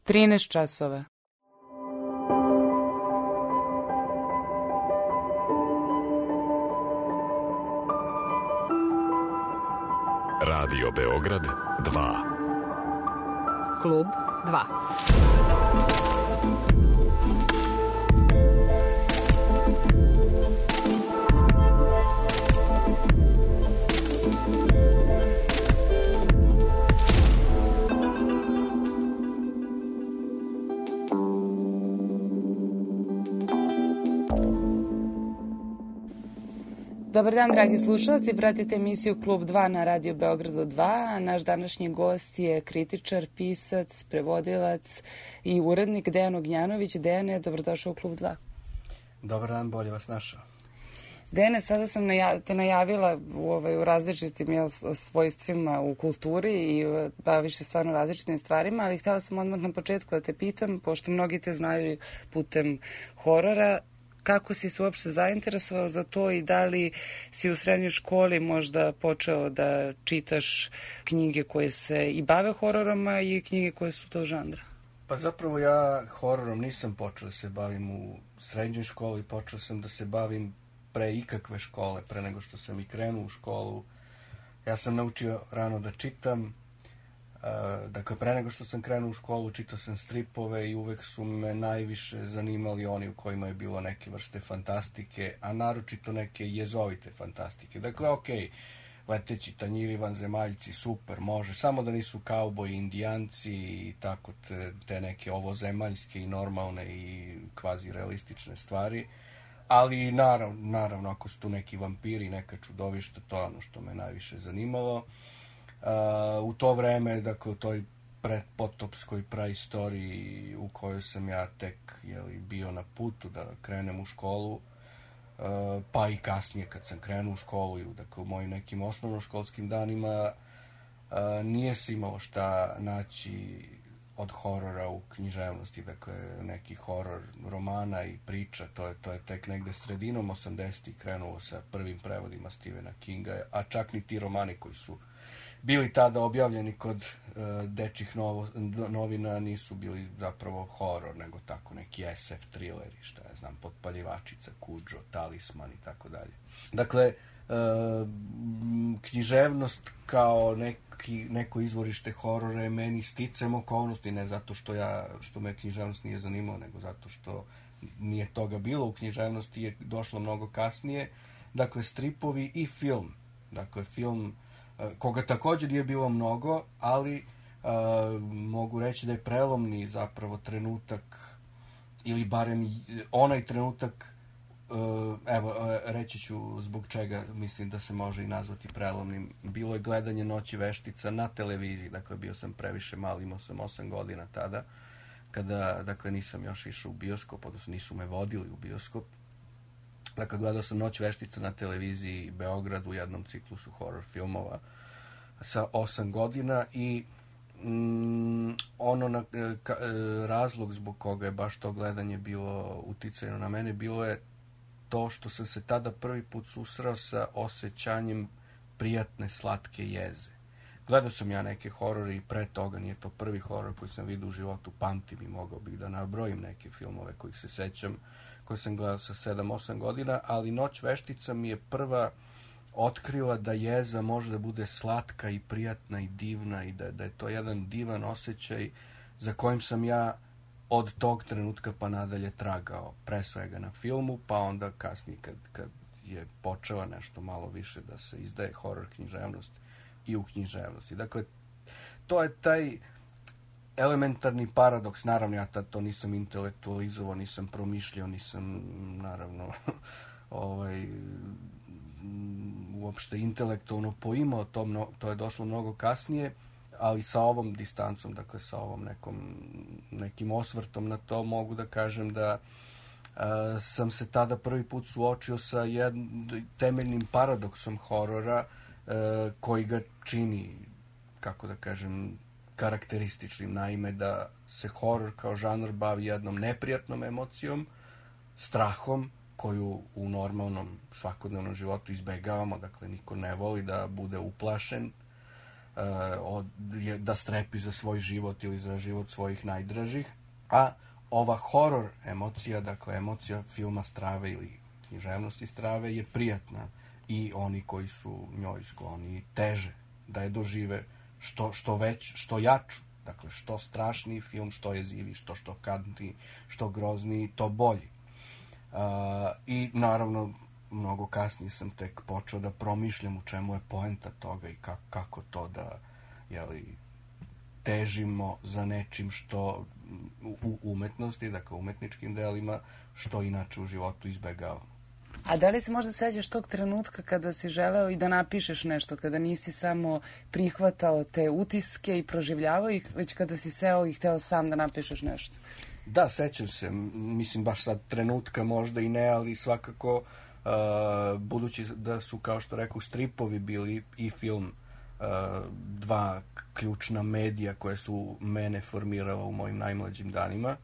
13 časova. Radio Beograd 2. Klub 2. Dobar dan, dragi slušalci, pratite emisiju Klub 2 na Radio Beogradu 2. Naš današnji gost je kritičar, pisac, prevodilac i urednik Dejan Ognjanović. Dejane, dobrodošao u Klub 2. Dobar dan, bolje vas našao. Dejane, sada sam te najavila u različitim svojstvima u kulturi i baviš se stvarno različitim stvarima, ali htjela sam odmah na početku da te pitam, pošto mnogi te znaju putem horora, kako si se uopšte zainteresovao za to i da li si u srednjoj školi možda počeo da čitaš knjige koje se i bave hororom, a i knjige koje su tog žanra? Pa zapravo ja hororom nisam počeo da se bavim u srednjoj školi, počeo sam da se bavim pre ikakve škole, pre nego što sam i krenuo u školu. Ja sam naučio rano da čitam, dakle pre nego što sam krenuo u školu čitao sam stripove i uvek su me najviše zanimali oni u kojima je bilo neke vrste fantastike, a naročito neke jezovite fantastike. Dakle, okej, leteći tanjiri, vanzemaljci, super, može, samo da nisu kauboji, indijanci i tako te neke ovozemaljske i normalne i kvazi realistične stvari. Ali naravno ako su tu neki vampiri, neka čudovišta, to je ono što me najviše zanimalo. U to vreme, dakle u toj predpotopskoj praistoriji u kojoj sam ja tek bio na putu da krenem u školu, pa i kasnije kad sam krenuo u školu, dakle u mojim nekim osnovnoškolskim danima, nije se imalo šta naći od horora u književnosti, dakle neki horor romana i priča, to je tek negde sredinom 80-ih krenulo sa prvim prevodima Stephena Kinga, a čak ni ti romani koji su bili tada objavljeni kod dečjih novina nisu bili zapravo horor, nego tako neki SF thrilleri, šta ja znam, Potpaljivačica, Kudžo, Talisman i tako dalje. Dakle, književnost kao neko izvorište horora je meni sticajem okolnosti, ne zato što me književnost nije zanimala, nego zato što nije toga bilo u književnosti, je došlo mnogo kasnije. Dakle, stripovi i film. Dakle, film koga također nije bilo mnogo, ali mogu reći da je prelomni zapravo trenutak, ili barem onaj trenutak, reći ću zbog čega mislim da se može i nazvati prelomnim. Bilo je gledanje Noći veštica na televiziji, dakle bio sam previše mali, imao sam 8 godina tada, kada dakle nisam još išao u bioskop, odnosno nisu me vodili u bioskop. Dakle, gledao sam Noć veštica na televiziji Beograd u jednom ciklusu horror filmova sa 8 godina i razlog zbog koga je baš to gledanje bilo uticajno na mene bilo je to što sam se tada prvi put susreo sa osjećanjem prijatne, slatke jeze. Gledao sam ja neke horore i pre toga, nije to prvi horor koji sam vidio u životu, pamtim i mogao bih da nabrojim neke filmove kojih se sećam, koje sam gledao sa 7-8 godina, ali Noć veštica mi je prva otkrila da jeza može da bude slatka i prijatna i divna i da je to jedan divan osjećaj za kojim sam ja od tog trenutka pa nadalje tragao, pre svega na filmu, pa onda kasnije kad je počela nešto malo više da se izdaje horor književnost i u književnosti. Dakle, to je taj elementarni paradoks. Naravno, ja tad to nisam intelektualizovao, nisam promišljao, nisam naravno uopšte intelektualno poimao to je došlo mnogo kasnije, ali sa ovom distancom, dakle sa ovom nekim osvrtom na to mogu da kažem da sam se tada prvi put suočio sa jednim temeljnim paradoksom horora koji ga čini, kako da kažem, karakterističnim. Naime, da se horor kao žanr bavi jednom neprijatnom emocijom, strahom, koju u normalnom svakodnevnom životu izbegavamo, dakle niko ne voli da bude uplašen, da strepi za svoj život ili za život svojih najdražih. A ova horor emocija, dakle emocija filma Strave ili književnosti Strave je prijatna i oni koji su njoj skloni teže da je dožive što jaču. Dakle, što strašniji film, što jezivi, što šokantniji, što grozniji, to bolji. I naravno, mnogo kasnije sam tek počeo da promišljam u čemu je poenta toga i kako to da težimo za nečim što u umetnosti, dakle umetničkim delima, što inače u životu izbegavamo. A da li se možda sećaš tog trenutka kada si želeo i da napišeš nešto, kada nisi samo prihvatao te utiske i proživljavao ih, već kada si seo i hteo sam da napišeš nešto? Da, sećam se. Mislim, baš sad trenutka možda i ne, ali svakako budući da su, kao što rekao, stripovi bili i film dva ključna medija koje su mene formirala u mojim najmlađim danima.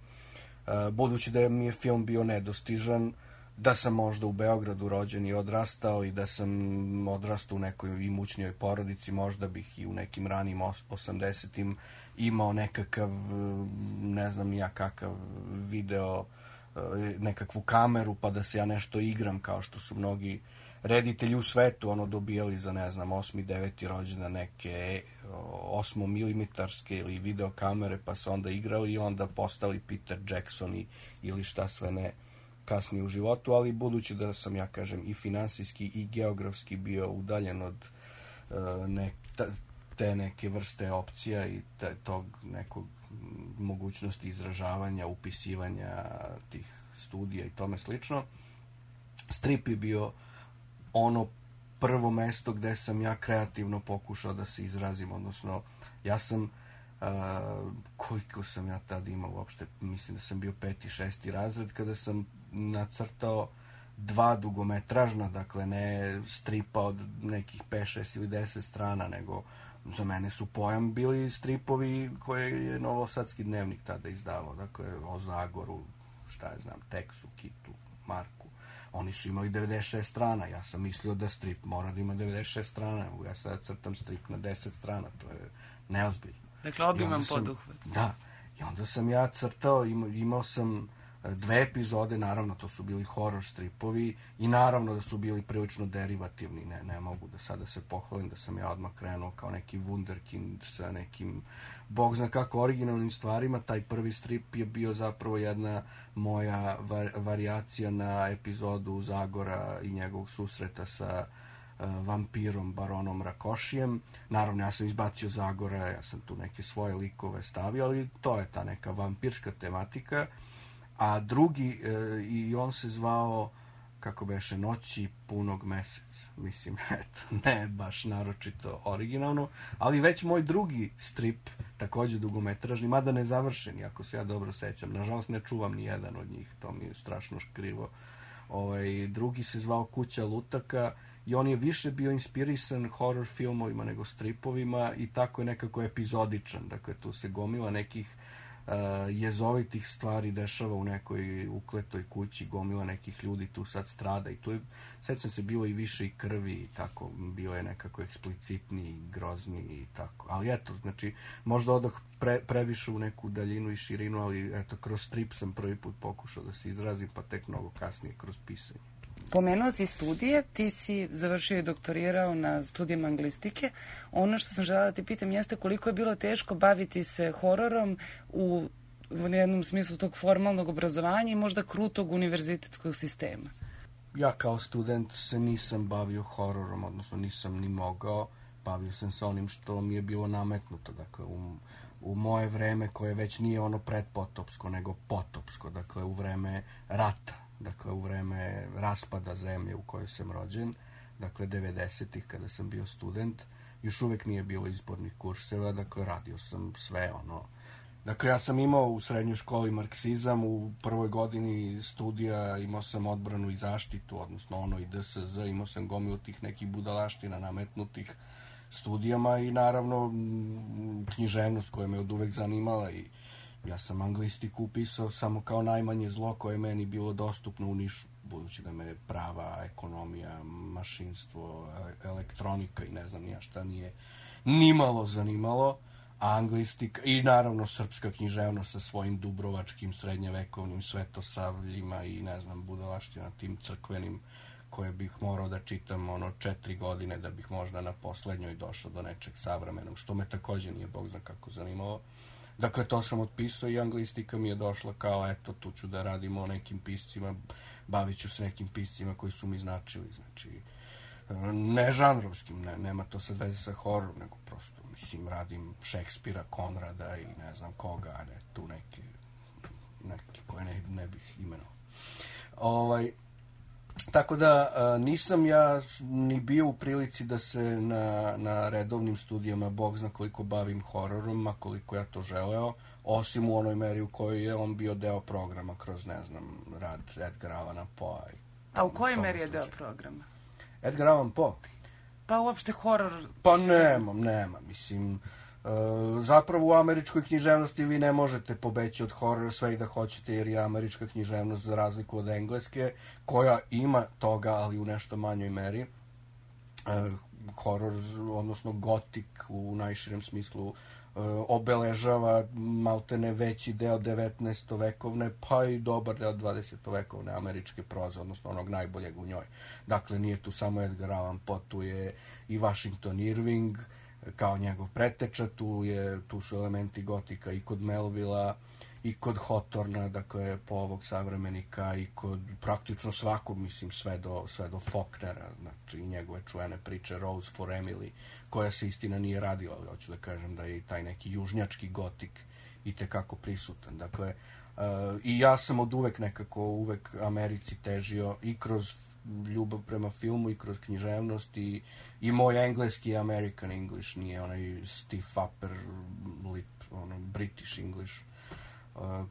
Budući da mi je film bio nedostižan, da sam možda u Beogradu rođen i odrastao i da sam odrastao u nekoj imućnijoj porodici, možda bih i u nekim ranim 80-im imao nekakav, ne znam ni ja kakav video, nekakvu kameru pa da se ja nešto igram kao što su mnogi reditelji u svetu dobijali za, ne znam, 8. 9. rođendan neke 8 milimetarske ili video kamere pa se onda igrali i onda postali Peter Jackson ili šta sve ne kasnije u životu, ali budući da sam, ja kažem, i finansijski i geografski bio udaljen od te neke vrste opcija i tog nekog mogućnosti izražavanja, upisivanja tih studija i tome slično, strip je bio ono prvo mesto gde sam ja kreativno pokušao da se izrazim, odnosno ja sam koliko sam ja tad imao uopšte, mislim da sam bio 5. 6. razred kada sam nacrtao 2 dugometražna, dakle ne stripa od nekih 5, 6 ili 10 strana, nego za mene su pojam bili stripovi koje je Novosadski dnevnik tada izdavao, dakle o Zagoru, šta ja znam, Teksu, Kitu, Marku. Oni su imali 96 strana, ja sam mislio da strip mora da ima 96 strana, ja sad crtam strip na 10 strana, to je neozbiljno. Dakle, obiman poduhvat. Da, i onda sam ja crtao, imao sam 2 epizode, naravno to su bili horror stripovi i naravno da su bili prilično derivativni, ne mogu da sada se pohvalim da sam ja odmah krenuo kao neki wunderkind sa nekim, bog zna kako, originalnim stvarima. Taj prvi strip je bio zapravo jedna moja varijacija na epizodu Zagora i njegovog susreta sa vampirom baronom Rakošijem. Naravno, ja sam izbacio Zagora, ja sam tu neke svoje likove stavio, ali to je ta neka vampirska tematika. A drugi, i on se zvao, kako beše, Noći punog meseca. Mislim, eto, ne baš naročito originalno, ali već moj drugi strip, takođe dugometražni, mada ne završen, ako se ja dobro sećam. Nažalost, ne čuvam ni jedan od njih, to mi je strašno krivo. Drugi se zvao Kuća lutaka i on je više bio inspirisan horror filmovima nego stripovima i tako je nekako epizodičan. Dakle, tu se gomila nekih jezovitih stvari dešava u nekoj ukletoj kući, gomila nekih ljudi tu sad strada i tu je, sećam se, bilo i više i krvi i tako, bio je nekako eksplicitniji, grozniji i tako. Ali eto, znači, možda odoh previše u neku daljinu i širinu, ali eto, kroz strip sam prvi put pokušao da se izrazim, pa tek mnogo kasnije kroz pisanje. Pomenuo si studije, ti si završio i doktorirao na studijama anglistike. Ono što sam želela da ti pitam jeste koliko je bilo teško baviti se hororom u jednom smislu tog formalnog obrazovanja i možda krutog univerzitetskog sistema. Ja kao student se nisam bavio hororom, odnosno nisam ni mogao. Bavio sam se onim što mi je bilo nametnuto, dakle u moje vreme koje već nije ono predpotopsko, nego potopsko, dakle u vreme rata. Dakle, u vreme raspada zemlje u kojoj sam rođen, dakle 90-ih kada sam bio student, još uvek nije bilo izbornih kurseva, dakle radio sam sve Dakle, ja sam imao u srednjoj školi marksizam, u prvoj godini studija imao sam odbranu i zaštitu, odnosno i DSZ, imao sam gomilu tih nekih budalaština nametnutih studijama i naravno književnost koja me od uvek zanimala i ja sam anglistiku upisao samo kao najmanje zlo koje je meni bilo dostupno u Nišu, budući da me prava, ekonomija, mašinstvo, elektronika i ne znam nija šta nimalo zanimalo, a anglistika i naravno srpska književnost sa svojim dubrovačkim srednjevekovnim svetosavljima i ne znam budalaština tim crkvenim koje bih morao da čitam 4 godine da bih možda na poslednjoj došao do nečeg savremenog, što me takođe nije bog zna kako zanimalo. Dakle, to sam otpisao i anglistika mi je došla kao, eto, tu ću da radimo o nekim piscima, bavit ću se nekim piscima koji su mi značili, znači, ne žanrovskim, nema to sad veze sa hororom, nego prosto, mislim, radim Šekspira, Konrada i ne znam koga, a ne tu neki koje ne bih imenovao. Tako da nisam ja ni bio u prilici da se na redovnim studijama bog zna koliko bavim hororom, a koliko ja to želeo, osim u onoj meri u kojoj je on bio deo programa kroz, ne znam, rad Edgar Allana Poe. A u kojoj meri je deo programa? Edgar Allan Poe? Pa uopšte horor... Pa nema, mislim... Zapravo u američkoj književnosti vi ne možete pobeći od horora sve i da hoćete, jer je američka književnost za razliku od engleske, koja ima toga, ali u nešto manjoj meri. Horor, odnosno gotik u najširem smislu, obeležava maltene veći deo 19. vekovne, pa i dobar deo 20. vekovne američke proze, odnosno onog najboljeg u njoj. Dakle, nije tu samo Edgar Allan Poe, tu je i Washington Irving, kao njegov preteča, tu su elementi gotika i kod Melvilla i kod Hawthorna, dakle po ovog savremenika, i kod praktično svakog, mislim, sve do Faulknera, znači njegove čuvene priče Rose for Emily, koja se istina nije radila, ali hoću da kažem da je i taj neki južnjački gotik itekako prisutan. Dakle, i ja sam od uvek uvek Americi težio i kroz ljubav prema filmu i kroz književnost i moj engleski je American English, nije onaj stiff upper lip, British English.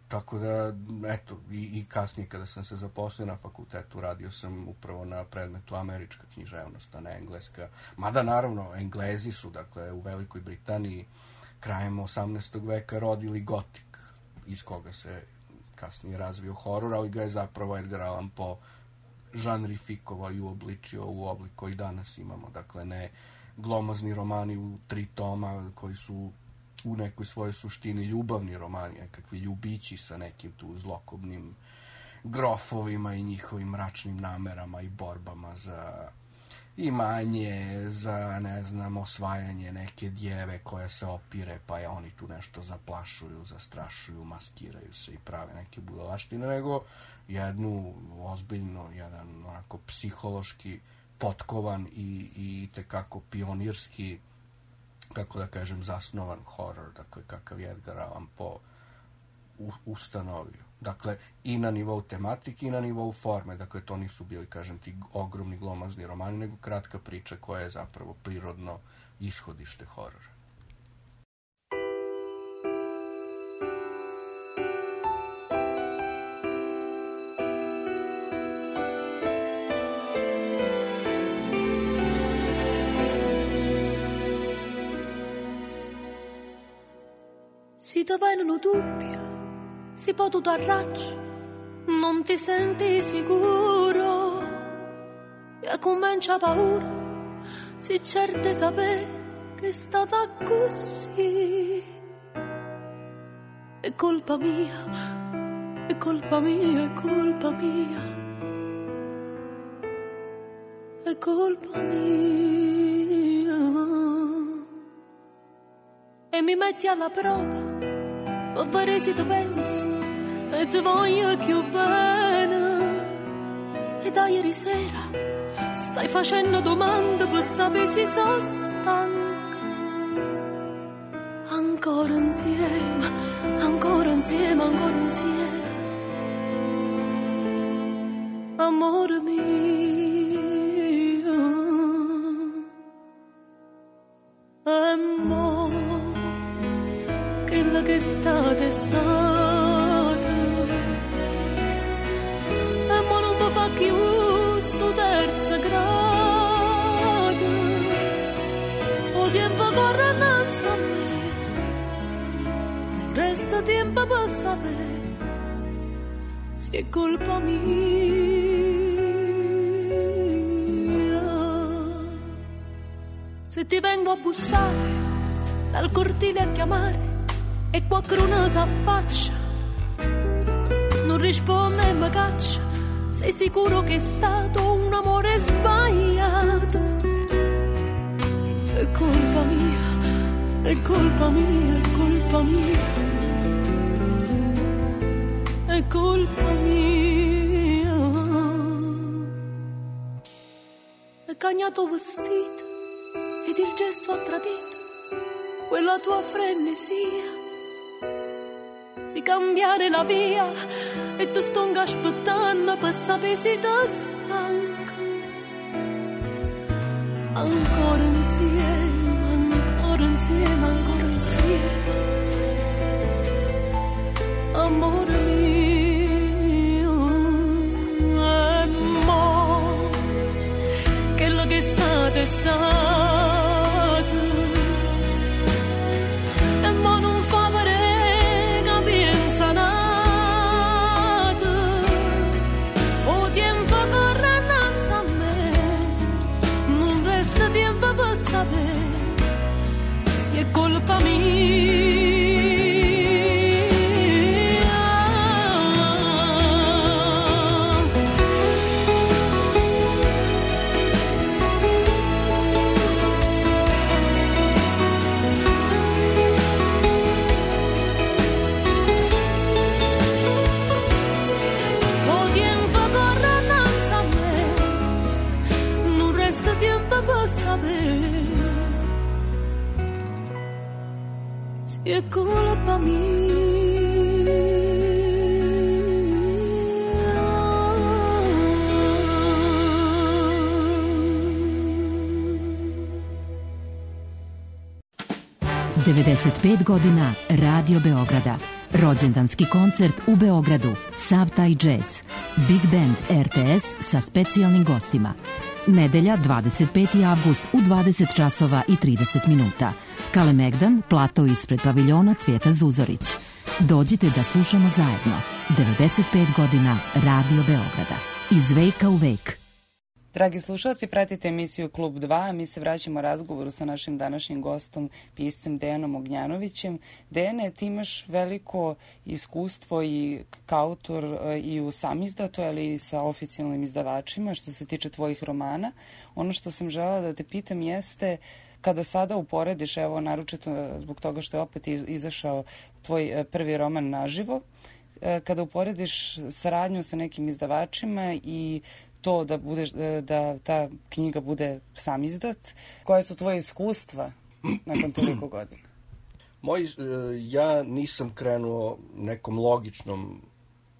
Tako da, eto, i kasnije kada sam se zaposlio na fakultetu, radio sam upravo na predmetu američka književnost, a ne engleska. Mada, naravno, Englezi su, dakle, u Velikoj Britaniji krajem 18. veka rodili gotik, iz koga se kasnije razvio horor, ali ga je zapravo Edgar Allan Poe žanrifikovao i uobličio u oblik koji danas imamo. Dakle, ne glomazni romani u 3 toma koji su u nekoj svojoj suštini ljubavni romani, nekakvi ljubići sa nekim tu zlokobnim grofovima i njihovim mračnim namerama i borbama za imanje, za, ne znam, osvajanje neke djeve koja se opire, pa je oni tu nešto zaplašuju, zastrašuju, maskiraju se i prave neke budalaštine, nego jednu ozbiljno, jedan onako psihološki potkovan i tekako pionirski, kako da kažem, zasnovan horor, dakle, kakav je Edgar Allan Poe ustanovio. Dakle, i na nivou tematike i na nivou forme. Dakle, to nisu bili, kažem ti, ogromni glomazni romani, nego kratka priča koja je zapravo prirodno ishodište horora. Si ti vengono dubbi, si può tutto arracci, non ti senti sicuro e comincia paura, si certe sapere che è stata così. È colpa mia, è colpa mia, è colpa mia, è colpa mia. E mi metti alla prova per vedere se ti pensi e ti voglio più bene. E da ieri sera stai facendo domande per sapere se sono stanca. Ancora insieme, ancora insieme, ancora insieme, amore mio. E mo quella che è stata è stata, e mo non mi fa più sto terzo grado. O tempo corre innanzi a me, non resta tempo per sapere se è colpa mia. Se ti vengo a bussare dal cortile a chiamare e qualcuno s'affaccia, non risponde e mi caccia. Sei sicuro che è stato un amore sbagliato? È colpa mia, è colpa mia, è colpa mia, è colpa mia. È cagnato vestito ed il gesto ha tradito quella tua frenesia di cambiare la via, e ti sto aspettando per sapere se ti stanca. Ancora insieme, ancora insieme, ancora insieme, amore mio. E mo quello che state è stato, e mo non fa vedere che pensa nato. O tempo corre innanzi a me, non resta tempo per sapere se è colpa mia. È colpa mia. Devedeset godina Radio Beograda. Rođendanski koncert u Beogradu. Sav taj jazz. Big Band RTS sa specijalnim gostima. Nedelja, 25. avgust u 20 časova i 30 minuta. Kalemegdan, plato ispred paviljona Cvijeta Zuzorić. Dođite da slušamo zajedno. 95 godina Radio Beograda. Iz veka u vek. Dragi slušalci, pratite emisiju Klub 2, a mi se vraćamo razgovoru sa našim današnjim gostom, piscem Dejanom Ognjanovićem. Dejane, ti imaš veliko iskustvo i kao autor i u samizdatu, ali i sa oficijalnim izdavačima što se tiče tvojih romana. Ono što sam želela da te pitam jeste, kada sada uporediš, evo naročito zbog toga što je opet izašao tvoj prvi roman Naživo, kada uporediš saradnju sa nekim izdavačima i to da ta knjiga bude samizdat, koje su tvoje iskustva nakon toliko godina? Ja nisam krenuo nekom logičnom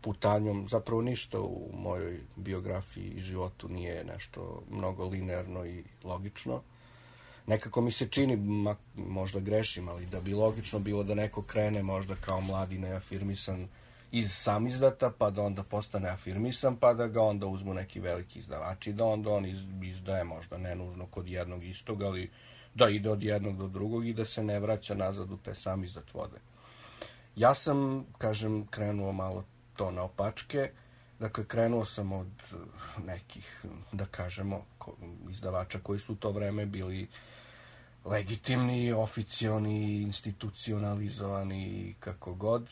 putanjom, zapravo ništa u mojoj biografiji i životu nije nešto mnogo linearno i logično. Nekako mi se čini, možda grešim, ali da bi logično bilo da neko krene možda kao mladi neafirmisan iz samizdata, pa da onda postane afirmisan, pa da ga onda uzmu neki veliki izdavači, da onda on izdaje možda nenužno kod jednog istog, ali da ide od jednog do drugog i da se ne vraća nazad u te samizdat vode. Ja sam, kažem, krenuo malo to naopačke. Dakle, krenuo sam od nekih, da kažemo, izdavača koji su u to vreme bili legitimni, oficioni, institucionalizovani, kako god.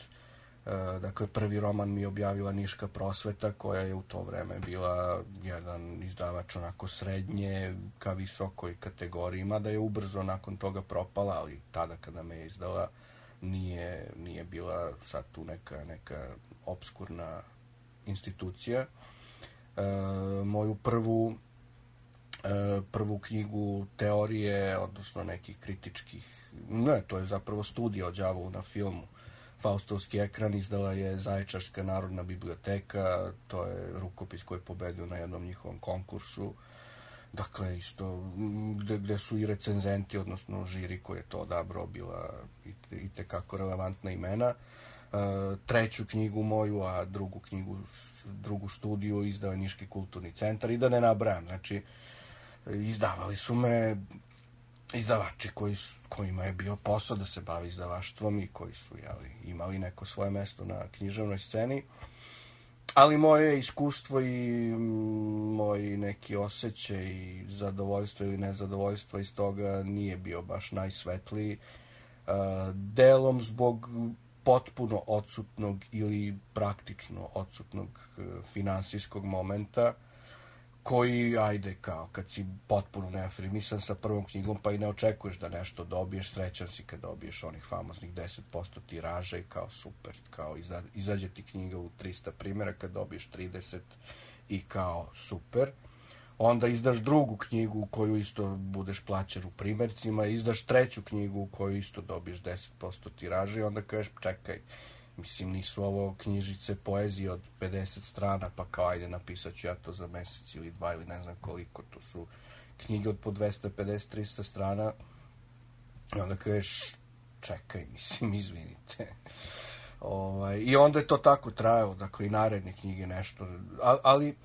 Dakle, prvi roman mi je objavila Niška prosveta, koja je u to vreme bila jedan izdavač onako srednje ka visokoj kategoriji, mada je ubrzo nakon toga propala, ali tada kada me je izdala nije bila sad tu neka obskurna institucija. Moju prvu knjigu teorije, odnosno nekih kritičkih, to je zapravo studija o đavolu na filmu, Faustovski ekran, izdala je Zaječarska narodna biblioteka. To je rukopis koji je pobedio na jednom njihovom konkursu. Dakle, isto gde su i recenzenti, odnosno žiri koji je to odabrao, bila i tekako relevantna imena. Treću knjigu moju, a drugu studiju izdao je Niški kulturni centar, i da ne nabrajam. Znači, izdavali su me izdavači kojima je bio posao da se bavi izdavaštvom i koji su imali neko svoje mesto na književnoj sceni. Ali moje iskustvo i moj neki osjećaj zadovoljstva ili nezadovoljstva iz toga nije bio baš najsvetliji. delom zbog potpuno odsutnog ili praktično odsutnog finansijskog momenta, koji, ajde, kao kad si potpuno neafirmisan sa prvom knjigom, pa i ne očekuješ da nešto dobiješ, srećan si kad dobiješ onih famoznih 10% tiraža i kao super, kao izađe ti knjiga u 300 primjera, kad dobiješ 30 i kao super. Onda izdaš drugu knjigu u koju isto budeš plaćen u primjercima, izdaš treću knjigu u koju isto dobiješ 10% tiraža i onda kažeš, čekaj, mislim, nisu ovo knjižice poezije od 50 strana, pa kao, ajde, napisat ću ja to za mesec ili dva ili ne znam koliko. To su knjige od po 250-300 strana. I onda kažeš, čekaj, mislim, izvinite. I onda je to tako trajalo, dakle, i naredne knjige nešto. Ali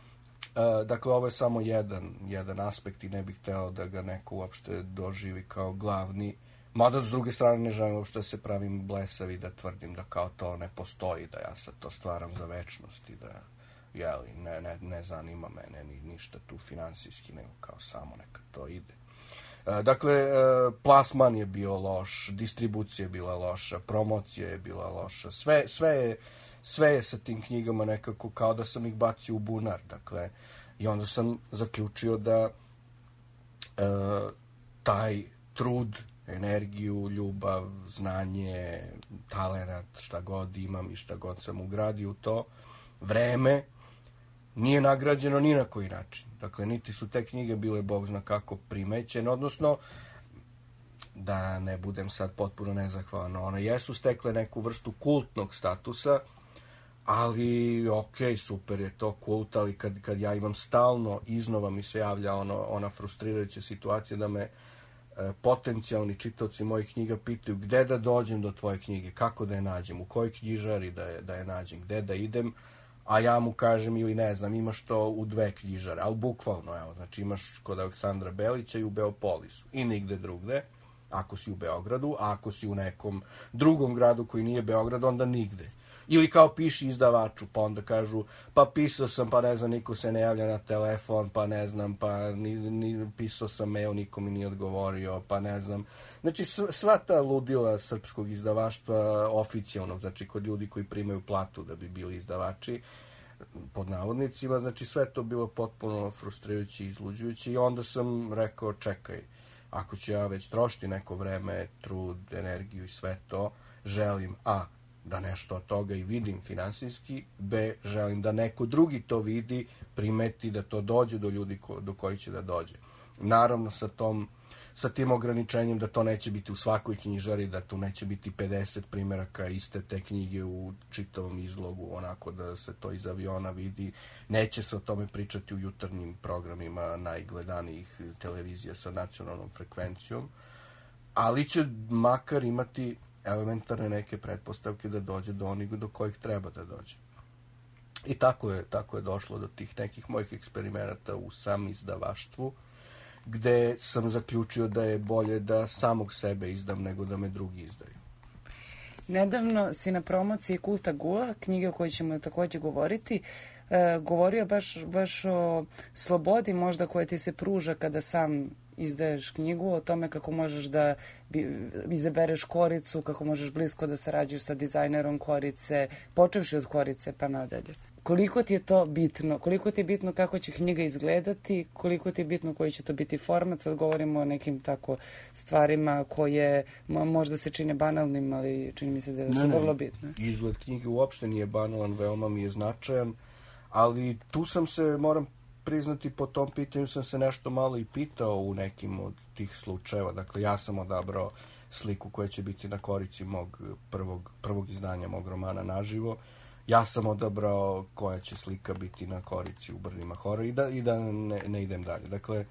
dakle, ovo je samo jedan aspekt i ne bih hteo da ga neko uopšte doživi kao glavni. Mada, s druge strane, ne želim uopšte da se pravim blesavi, da tvrdim da kao to ne postoji, da ja sad to stvaram za večnost i da, jeli, ne zanima mene ništa tu finansijski, nego kao samo neka to ide. Dakle, plasman je bio loš, distribucija je bila loša, promocija je bila loša, sve je sa tim knjigama nekako kao da sam ih bacio u bunar, dakle, i onda sam zaključio da taj trud, energiju, ljubav, znanje, talenat, šta god imam i šta god sam ugradio u to, vreme, nije nagrađeno ni na koji način. Dakle, niti su te knjige bile bog zna kako primećene, odnosno, da ne budem sad potpuno nezahvalan, one jesu stekle neku vrstu kultnog statusa, ali, okej, super je to kult, ali kad ja imam stalno, iznova mi se javlja ona frustrirajuća situacija da me potencijalni čitaoci mojih knjiga pitaju gde da dođem do tvoje knjige, kako da je nađem, u kojoj knjižari da je nađem, gde da idem, a ja mu kažem ili ne znam, imaš to u 2 knjižare, ali bukvalno, evo, znači imaš kod Aleksandra Belića i u Beopolisu i nigde drugde, ako si u Beogradu, a ako si u nekom drugom gradu koji nije Beograd, onda nigde. Ili kao piši izdavaču, pa onda kažu, pa pisao sam, pa ne znam, niko se ne javlja na telefon, pa ne znam, pa pisao sam mail, niko mi nije odgovorio, pa ne znam. Znači, sva ta ludila srpskog izdavaštva oficijalnog, znači kod ljudi koji primaju platu da bi bili izdavači, pod navodnicima, znači sve to bilo potpuno frustrirajuće i izluđujuće i onda sam rekao, čekaj, ako ću ja već trošiti neko vreme, trud, energiju i sve to, želim da nešto od toga i vidim finansijski, B, želim da neko drugi to vidi, primeti, da to dođe do ljudi do kojih će da dođe. Naravno, sa tim ograničenjem da to neće biti u svakoj knjižari, da tu neće biti 50 primjeraka iste te knjige u čitavom izlogu, onako da se to iz aviona vidi. Neće se o tome pričati u jutarnjim programima najgledanijih televizija sa nacionalnom frekvencijom, ali će makar imati elementarne neke pretpostavke da dođe do onih do kojih treba da dođe. I tako je došlo do tih nekih mojih eksperimenata u samizdavaštvu, gde sam zaključio da je bolje da samog sebe izdam nego da me drugi izdaju. Nedavno si na promociji Kulta Gula, knjige o kojoj ćemo također govoriti, govorio baš o slobodi možda koja ti se pruža kada sam izdaješ knjigu, o tome kako možeš da izabereš koricu, kako možeš blisko da sarađuješ sa dizajnerom korice, počevši od korice pa nadalje. Koliko ti je to bitno? Koliko ti je bitno kako će knjiga izgledati? Koliko ti je bitno koji će to biti format? Sad govorimo o nekim tako stvarima koje možda se čine banalnim, ali čini mi se da su vrlo bitne. Izgled knjige uopšte nije banalan, veoma mi je značajan, ali tu sam se, moram priznati, po tom pitanju sam se nešto malo i pitao u nekim od tih slučajeva. Dakle, ja sam odabrao sliku koja će biti na korici mog prvog izdanja mog romana Naživo. Ja sam odabrao koja će slika biti na korici u Brdima horora i da ne idem dalje. Dakle,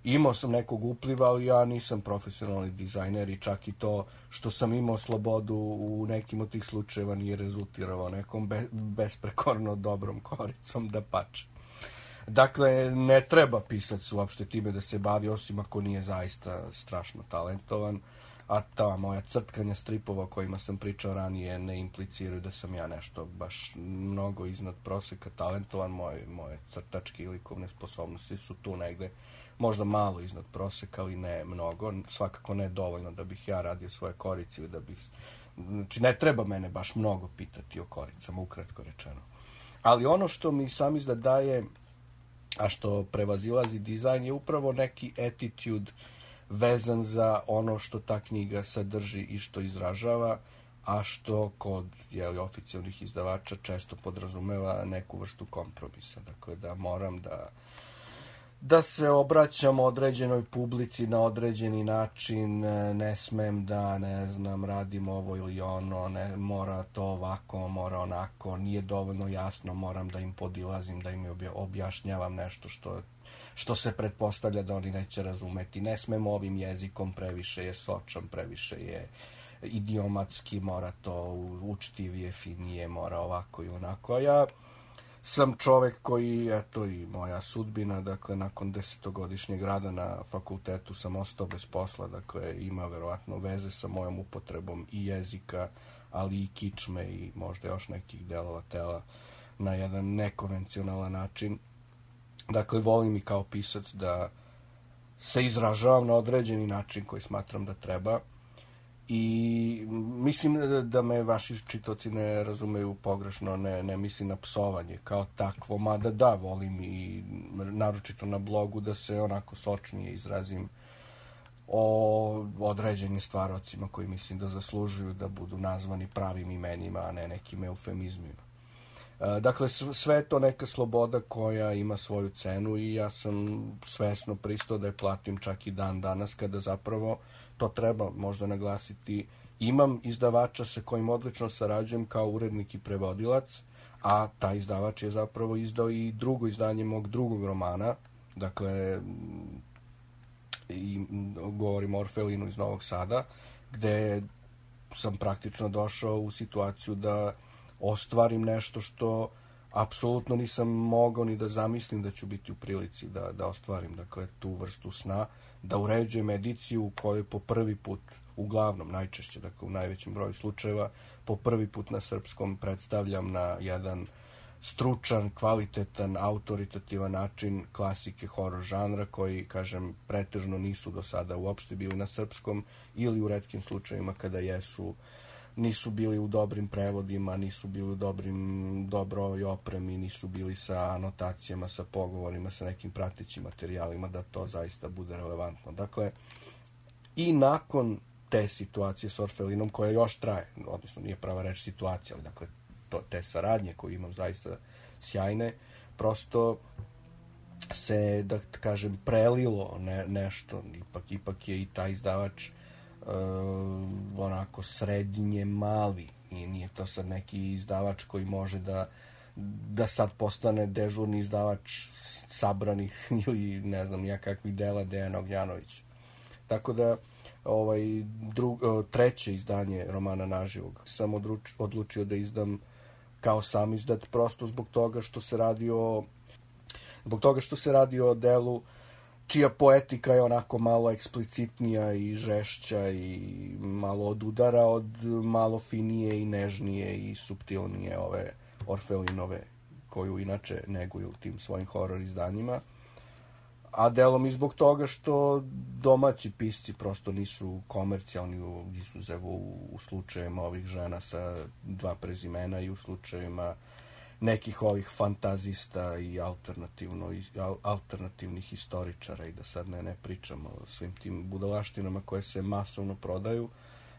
imao sam nekog upliva, ali ja nisam profesionalni dizajner i čak i to što sam imao slobodu u nekim od tih slučajeva nije rezultiralo nekom besprekorno dobrom koricom, da pače. Dakle, ne treba pisac uopšte time da se bavi, osim ako nije zaista strašno talentovan, a ta moja crtkanja stripova o kojima sam pričao ranije ne impliciraju da sam ja nešto baš mnogo iznad proseka talentovan. Moje crtačke i likovne sposobnosti su tu negde možda malo iznad proseka, ali ne mnogo, svakako ne dovoljno da bih ja radio svoje korice ili da bih, znači ne treba mene baš mnogo pitati o koricama, ukratko rečeno. Ali ono što mi sam izda daje, a što prevazilazi dizajn, je upravo neki attitude vezan za ono što ta knjiga sadrži i što izražava, a što kod oficijalnih izdavača često podrazumeva neku vrstu kompromisa. Dakle, da moram da se obraćam određenoj publici na određeni način, ne smem da, ne znam, radim ovo ili ono, ne, mora to ovako, mora onako, nije dovoljno jasno, moram da im podilazim, da im objašnjavam nešto što se pretpostavlja da oni neće razumeti. Ne smem ovim jezikom, previše je sočan, previše je idiomatski, mora to učtivije, finije, mora ovako i onako. A ja sam čovek koji, eto i moja sudbina, dakle, nakon 10-godišnjeg rada na fakultetu sam ostao bez posla, dakle, ima verovatno veze sa mojom upotrebom i jezika, ali i kičme i možda još nekih delova tela na jedan nekonvencionalan način. Dakle, volim i kao pisac da se izražavam na određeni način koji smatram da treba. I mislim da me vaši čitaoci ne razumeju pogrešno, ne mislim na psovanje kao takvo, mada da, volim i naročito na blogu da se onako sočnije izrazim o određenim stvarocima koji mislim da zaslužuju da budu nazvani pravim imenima, a ne nekim eufemizmima. Dakle, sve je to neka sloboda koja ima svoju cenu i ja sam svesno pristao da je platim čak i dan danas, kada zapravo, to treba možda naglasiti, imam izdavača sa kojim odlično sarađujem kao urednik i prevodilac, a taj izdavač je zapravo izdao i drugo izdanje mog drugog romana, dakle, i govorim o Orfelinu iz Novog Sada, gde sam praktično došao u situaciju da ostvarim nešto što apsolutno nisam mogao ni da zamislim da ću biti u prilici da ostvarim, dakle, tu vrstu sna, da uređujem ediciju u kojoj po prvi put, uglavnom, najčešće, dakle, u najvećem broju slučajeva, po prvi put na srpskom predstavljam na jedan stručan, kvalitetan, autoritativan način klasike horor žanra koji, kažem, pretežno nisu do sada uopšte bili na srpskom ili u retkim slučajevima kada jesu, nisu bili u dobrim prevodima, nisu bili u dobroj opremi, nisu bili sa anotacijama, sa pogovorima, sa nekim pratećim materijalima da to zaista bude relevantno. Dakle, i nakon te situacije s Orfelinom, koja još traje, odnosno nije prava reč situacija, ali dakle, te saradnje koje imam zaista sjajne, prosto se, da kažem, prelilo nešto, ipak je i taj izdavač onako srednje mali i nije to sad neki izdavač koji može da sad postane dežurni izdavač sabranih ili ne znam ja kakvih dela Dejana Ognjanovića. Tako da treće izdanje romana Naživog sam odlučio da izdam kao sam izdat, prosto zbog toga što se radi o delu čija poetika je onako malo eksplicitnija i žešća i malo odudara od malo finije i nežnije i suptilnije ove Orfelinove, koju inače neguju u tim svojim horor izdanjima. A delom i zbog toga što domaći pisci prosto nisu komercijalni, izuzev u slučajevima ovih žena sa dva prezimena i u slučajevima nekih ovih fantazista i alternativnih historičara i da sad ne pričamo o svim tim budalaštinama koje se masovno prodaju.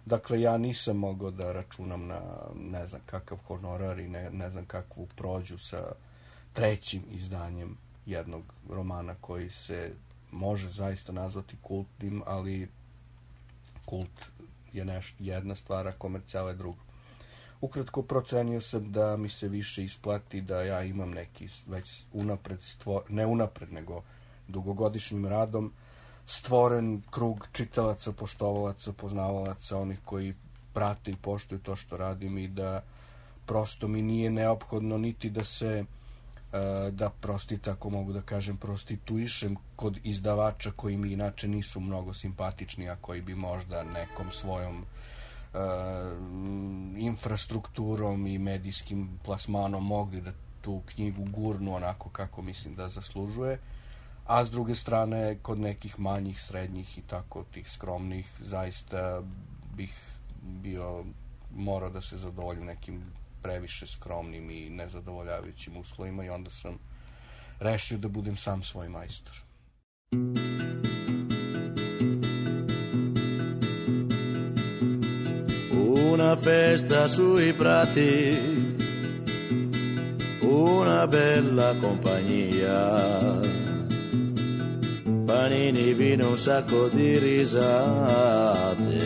Dakle, ja nisam mogao da računam na ne znam kakav honorar i ne znam kakvu prođu sa trećim izdanjem jednog romana koji se može zaista nazvati kultnim, ali kult je jedna stvar, a komercijala je druga. Ukratko, procenio sam da mi se više isplati da ja imam neki već ne unapred, nego dugogodišnjim radom stvoren krug čitalaca, poštovalaca, poznavalaca, onih koji prate i poštuju to što radim i da prosto mi nije neophodno niti da se da ako mogu da kažem, prostituišem kod izdavača koji mi inače nisu mnogo simpatični, a koji bi možda nekom svojom infrastrukturom i medijskim plasmanom mogli da tu knjigu gurnu onako kako mislim da zaslužuje, a s druge strane kod nekih manjih, srednjih i tako tih skromnih zaista bih morao da se zadovoljim nekim previše skromnim i nezadovoljavajućim uslovima i onda sam rešio da budem sam svoj majstor. Una festa sui prati, una bella compagnia, panini, vino, un sacco di risate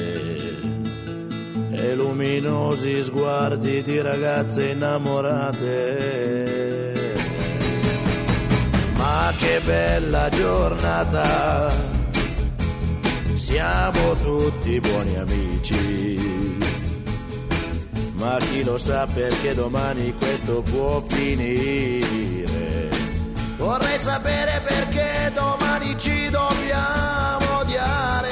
e luminosi sguardi di ragazze innamorate. Ma che bella giornata, siamo tutti buoni amici, ma chi lo sa perché domani questo può finire. Vorrei sapere perché domani ci dobbiamo odiare.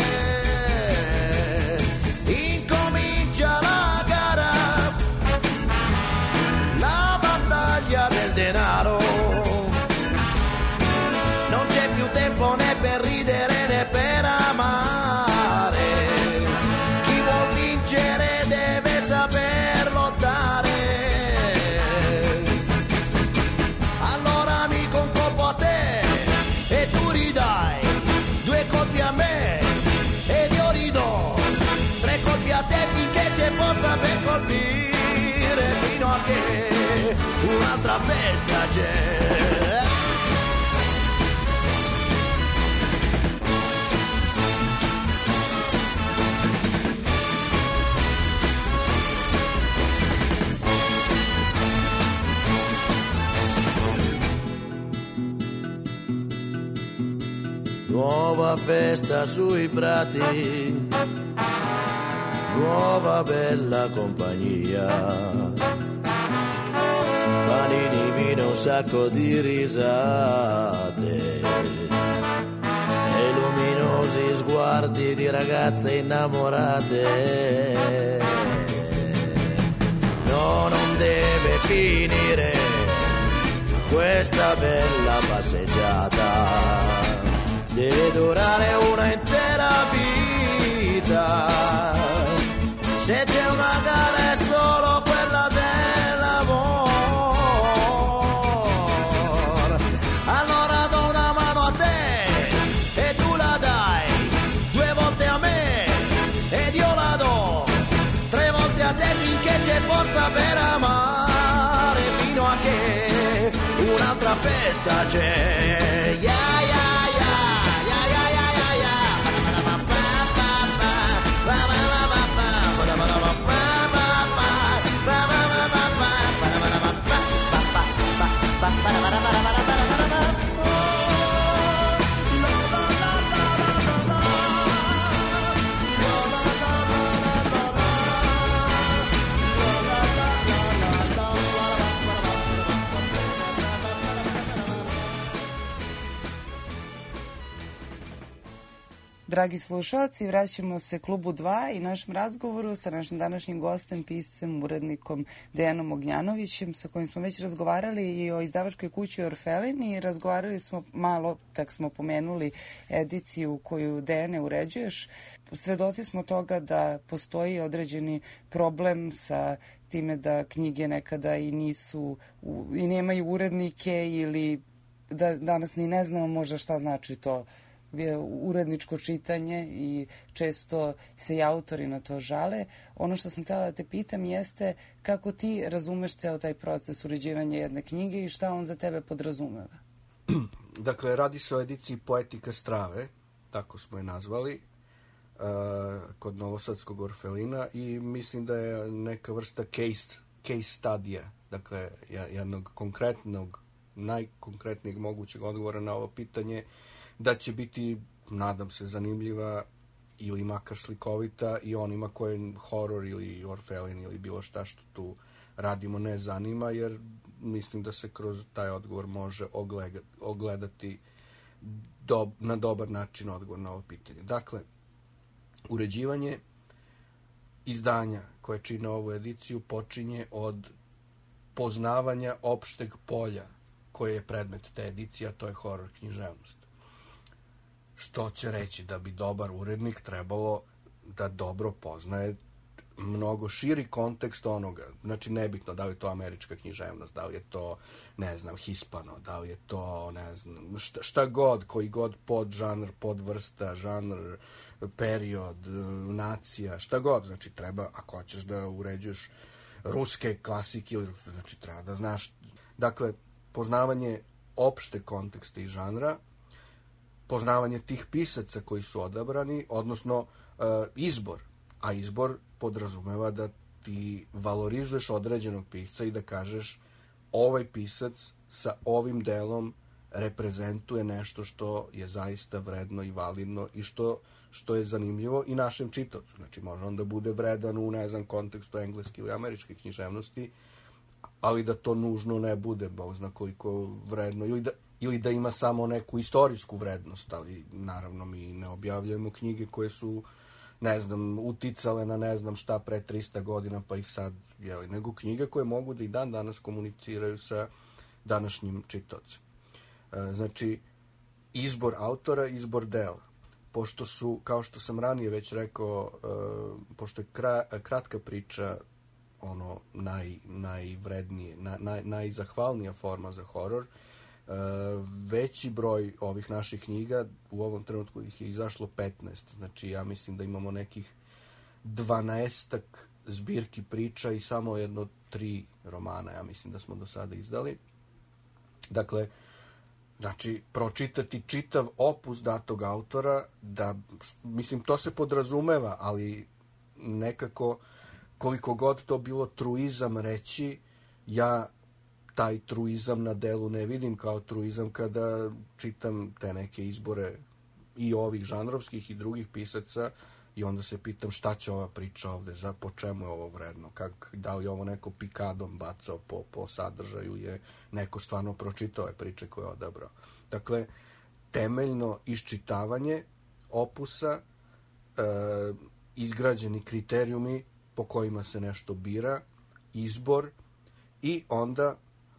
Incomincia la gara, la battaglia del denaro. Non c'è più tempo né per ridere né per amare. Chi vuol vincere deve saper lottare. Allora amico, un colpo a te e tu ridai, 2 colpi a me ed io ridò, 3 colpi a te finché c'è forza per colpire, fino a che un'altra festa c'è. Nuova festa sui prati, nuova bella compagnia, panini, vino, un sacco di risate e luminosi sguardi di ragazze innamorate. No, non deve finire questa bella passeggiata, deve durare una intera vita. Se c'è una gara è solo quella dell'amor. Allora do una mano a te e tu la dai, 2 volte a me ed io la do, 3 volte a te finché c'è forza per amare, fino a che un'altra festa c'è. Yeah, yeah. Dragi slušalci, vraćamo se Klubu 2 i našem razgovoru sa našim današnjim gostem, piscem, urednikom Dejanom Ognjanovićem, sa kojim smo već razgovarali i o izdavačkoj kući Orfelin i razgovarali smo malo, tak smo pomenuli ediciju koju Dejane uređuješ. Svedoci smo toga da postoji određeni problem sa time da knjige nekada i nisu i nemaju urednike ili da danas ni ne znamo možda šta znači to uredničko čitanje i često se i autori na to žale. Ono što sam htjela da te pitam jeste kako ti razumeš ceo taj proces uređivanja jedne knjige i šta on za tebe podrazumeva? Dakle, radi se o ediciji Poetika strave, tako smo je nazvali, kod Novosadskog Orfelina i mislim da je neka vrsta case studija, dakle jednog konkretnog, najkonkretnijeg mogućeg odgovora na ovo pitanje, da će biti, nadam se, zanimljiva ili makar slikovita i onima koje horor ili Orfelin ili bilo šta što tu radimo ne zanima, jer mislim da se kroz taj odgovor može ogledati na dobar način odgovor na ovo pitanje. Dakle, uređivanje izdanja koje čine ovu ediciju počinje od poznavanja opšteg polja koje je predmet te edicije, a to je horor književnost. Što će reći da bi dobar urednik trebalo da dobro poznaje mnogo širi kontekst onoga. Znači, nebitno da li je to američka književnost, da li je to, ne znam, hispano, da li je to, ne znam, šta god, koji god podžanr, podvrsta, žanr, period, nacija, šta god. Znači, treba, ako hoćeš da uređuješ ruske klasike, znači, treba da znaš. Dakle, poznavanje opšte kontekste i žanra, poznavanje tih pisaca koji su odabrani, odnosno izbor. A izbor podrazumeva da ti valorizuješ određenog pisca i da kažeš ovaj pisac sa ovim delom reprezentuje nešto što je zaista vredno i validno i što je zanimljivo i našem čitaocu. Znači, može on da bude vredan u, ne znam, kontekstu engleske ili američke književnosti, ali da to nužno ne bude, Bog zna koliko vredno, ili da ima samo neku istorijsku vrednost, ali naravno mi ne objavljujemo knjige koje su, ne znam, uticale na ne znam šta pre 300 godina, pa ih sad, nego knjige koje mogu da i dan danas komuniciraju sa današnjim čitaocem. Znači, izbor autora, izbor dela. Pošto su, kao što sam ranije već rekao, pošto je kratka priča ono najvrednije, najzahvalnija forma za horor, veći broj ovih naših knjiga, u ovom trenutku ih je izašlo 15, znači ja mislim da imamo nekih 12-ak zbirki priča i samo 3 romana, ja mislim da smo do sada izdali. Dakle, znači, pročitati čitav opus datog autora, da, mislim, to se podrazumeva, ali nekako, koliko god to bilo truizam reći, ja taj truizam na delu ne vidim kao truizam kada čitam te neke izbore i ovih žanrovskih i drugih pisaca i onda se pitam šta će ova priča ovde, po čemu je ovo vredno, da li ovo neko pikadom bacao po sadržaju, je neko stvarno pročitao ove priče koje je odabrao. Dakle, temeljno iščitavanje opusa, izgrađeni kriterijumi po kojima se nešto bira, izbor i onda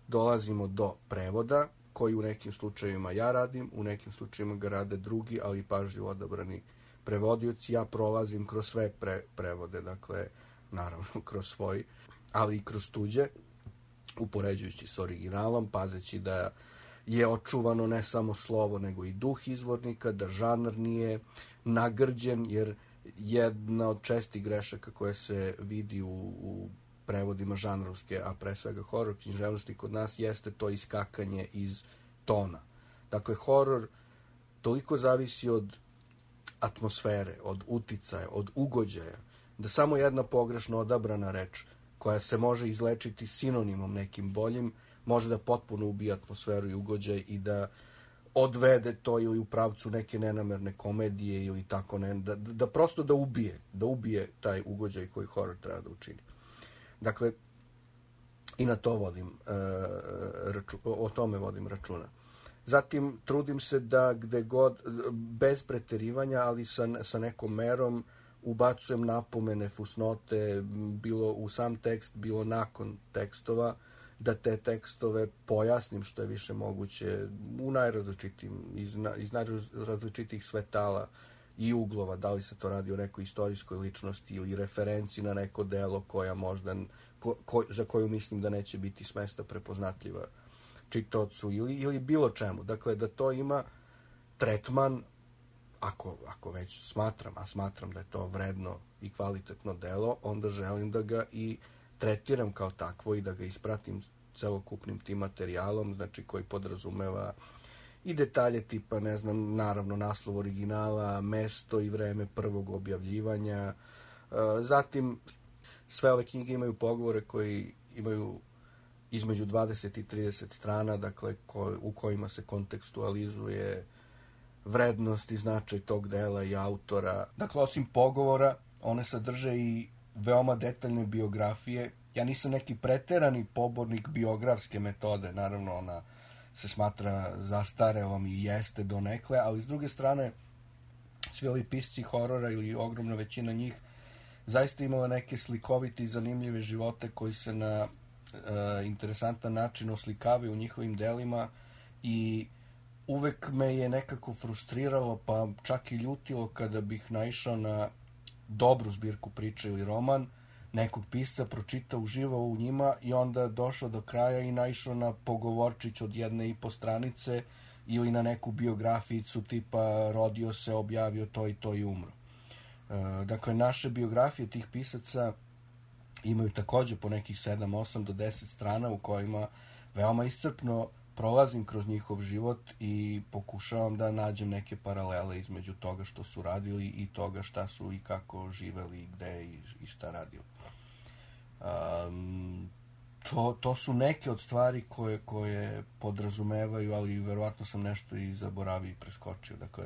dolazimo do prevoda, koji u nekim slučajevima ja radim, u nekim slučajevima ga rade drugi, ali pažljivo odabrani prevodioci. Ja prolazim kroz sve prevode, dakle, naravno kroz svoj, ali i kroz tuđe, upoređujući s originalom, pazeći da je očuvano ne samo slovo, nego i duh izvornika, da žanr nije nagrđen, jer jedna od čestih grešaka koje se vidi u prevodima žanrovske, a pre svega horor književnosti kod nas, jeste to iskakanje iz tona. Dakle, horor toliko zavisi od atmosfere, od uticaja, od ugođaja, da samo jedna pogrešno odabrana reč, koja se može izlečiti sinonimom nekim boljim, može da potpuno ubije atmosferu i ugođaj i da odvede to ili u pravcu neke nenamerne komedije ili tako, da prosto da ubije taj ugođaj koji horor treba da učini. Dakle, i na to o tome vodim računa. Zatim, trudim se da gde god, bez preterivanja, ali sa nekom merom, ubacujem napomene, fusnote, bilo u sam tekst, bilo nakon tekstova, da te tekstove pojasnim što je više moguće u najrazličitijim, iz najrazličitijih svetala i uglova, da li se to radi o nekoj istorijskoj ličnosti ili referenci na neko delo koja možda, za koju mislim da neće biti smesta prepoznatljiva čitaocu ili bilo čemu. Dakle, da to ima tretman, ako već smatram da je to vredno i kvalitetno delo, onda želim da ga i tretiram kao takvo i da ga ispratim celokupnim tim materijalom, znači koji podrazumeva i detalje tipa, ne znam, naravno naslov originala, mesto i vreme prvog objavljivanja. Zatim, sve ove knjige imaju pogovore koji imaju između 20 i 30 strana, dakle, u kojima se kontekstualizuje vrednost i značaj tog dela i autora. Dakle, osim pogovora, one sadrže i veoma detaljne biografije ja nisam neki preterani pobornik biografske metode, naravno ona se smatra zastarelom i jeste donekle, ali s druge strane svi ovi pisci horora ili ogromna većina njih zaista imala neke slikovite i zanimljive živote koji se na interesantan način oslikavaju u njihovim delima i uvek me je nekako frustriralo pa čak i ljutilo kada bih naišao na dobru zbirku priča ili roman nekog pisca, pročitao, uživao u njima i onda došao do kraja i naišao na pogovorčić od 1,5 stranice ili na neku biografijicu tipa rodio se, objavio to i umro. Dakle, naše biografije tih pisaca imaju također po nekih 7, 8 do 10 strana u kojima veoma iscrpno prolazim kroz njihov život i pokušavam da nađem neke paralele između toga što su radili i toga šta su i kako živeli, gde i šta radili. To su neke od stvari koje podrazumevaju, ali verovatno sam nešto i zaboravio i preskočio. Dakle,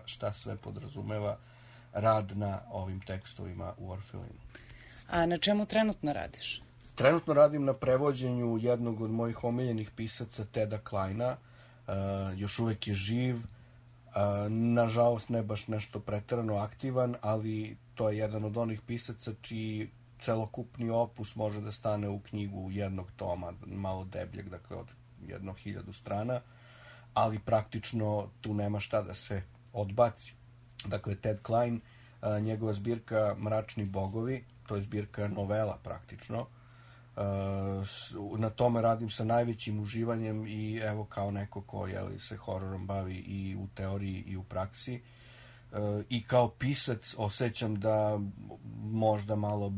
šta sve podrazumeva rad na ovim tekstovima u Orfelinu. A na čemu trenutno radiš? Trenutno radim na prevođenju jednog od mojih omiljenih pisaca, Teda Kleina. Još uvek je živ. Nažalost, ne baš nešto preterano aktivan, ali to je jedan od onih pisaca čiji celokupni opus može da stane u knjigu jednog toma, malo debljeg, dakle od 1000 strana, ali praktično tu nema šta da se odbaci. Dakle, Ted Klein, njegova zbirka Mračni bogovi, to je zbirka novela praktično. Na tome radim sa najvećim uživanjem i evo kao neko ko se hororom bavi i u teoriji i u praksi. I kao pisac osjećam da možda malo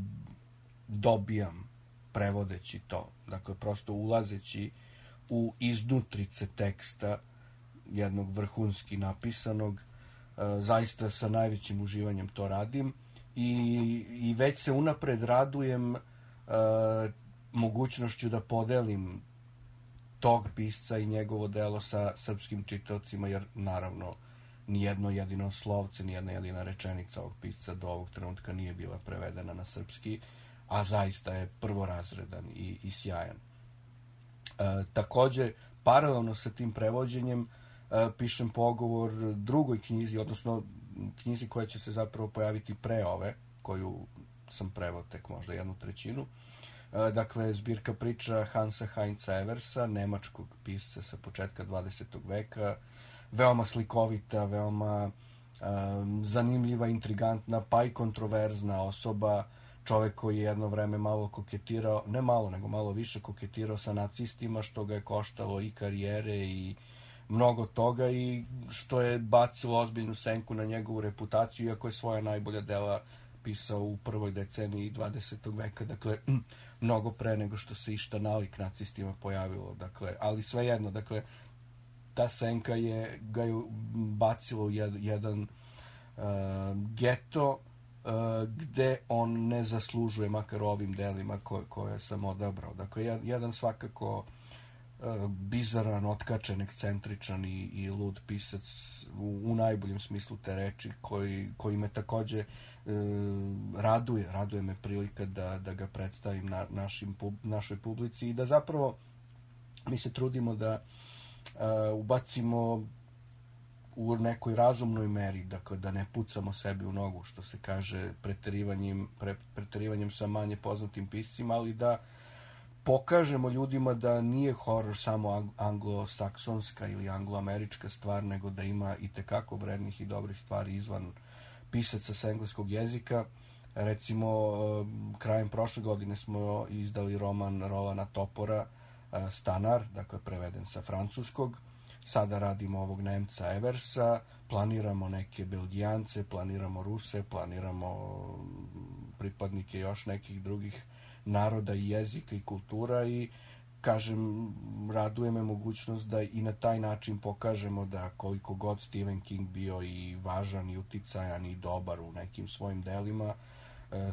dobijam prevodeći to. Dakle, prosto ulazeći u iznutrice teksta jednog vrhunski napisanog, zaista sa najvećim uživanjem to radim i već se unapred radujem mogućnošću da podelim tog pisca i njegovo delo sa srpskim čitaocima, jer naravno nijedno jedino slovce, nijedna jedina rečenica ovog pisca do ovog trenutka nije bila prevedena na srpski, a zaista je prvorazredan i sjajan. Također, paralelno sa tim prevođenjem pišem pogovor drugoj knjizi, odnosno knjizi koja će se zapravo pojaviti pre ove, koju sam preveo tek možda 1/3. Dakle, zbirka priča Hansa Heinza Eversa, nemačkog pisca sa početka 20. veka, veoma slikovita, veoma zanimljiva, intrigantna, pa i kontroverzna osoba, čovjek koji je jedno vreme malo koketirao, ne malo, nego malo više koketirao sa nacistima, što ga je koštalo i karijere i mnogo toga i što je bacilo ozbiljnu senku na njegovu reputaciju, iako je svoja najbolja dela pisao u prvoj deceniji 20. veka, dakle, mnogo pre nego što se išta nalik nacistima pojavilo, dakle, ali svejedno, dakle, ta senka ga je bacilo u jedan geto gde on ne zaslužuje, makar ovim delima koje sam odabrao. Dakle, jedan svakako bizaran, otkačen, ekscentričan i lud pisac u najboljem smislu te reči, koji me također raduje me prilika da ga predstavim našoj publici i da zapravo mi se trudimo da ubacimo u nekoj razumnoj meri, dakle da ne pucamo sebi u nogu, što se kaže, preterivanjem sa manje poznatim piscima, ali da pokažemo ljudima da nije horor samo anglosaksonska ili angloamerička stvar, nego da ima i tekako vrednih i dobrih stvari izvan pisaca sa engleskog jezika. Recimo, krajem prošle godine smo izdali roman Rolana Topora, Stanar, dakle preveden sa francuskog. Sada radimo ovog Nemca Eversa, planiramo neke Belgijance, planiramo Ruse, planiramo pripadnike još nekih drugih naroda i jezika i kultura i kažem, raduje me mogućnost da i na taj način pokažemo da koliko god Stephen King bio i važan i uticajan i dobar u nekim svojim delima,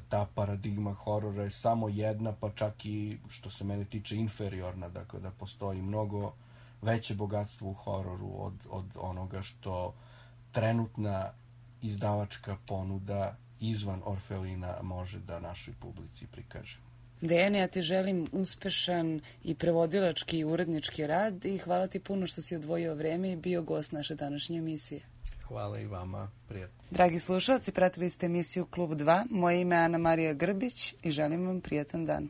ta paradigma horora je samo jedna, pa čak i što se mene tiče inferiorna, dakle da postoji mnogo veće bogatstvo u hororu od onoga što trenutna izdavačka ponuda izvan Orfelina može da našoj publici prikaže. Dejane, ja ti želim uspešan i prevodilački i urednički rad i hvala ti puno što si odvojio vreme i bio gost naše današnje emisije. Hvala i vama, prijatno. Dragi slušalci, pratili ste emisiju Klub 2. Moje ime je Ana Marija Grbić i želim vam prijatan dan.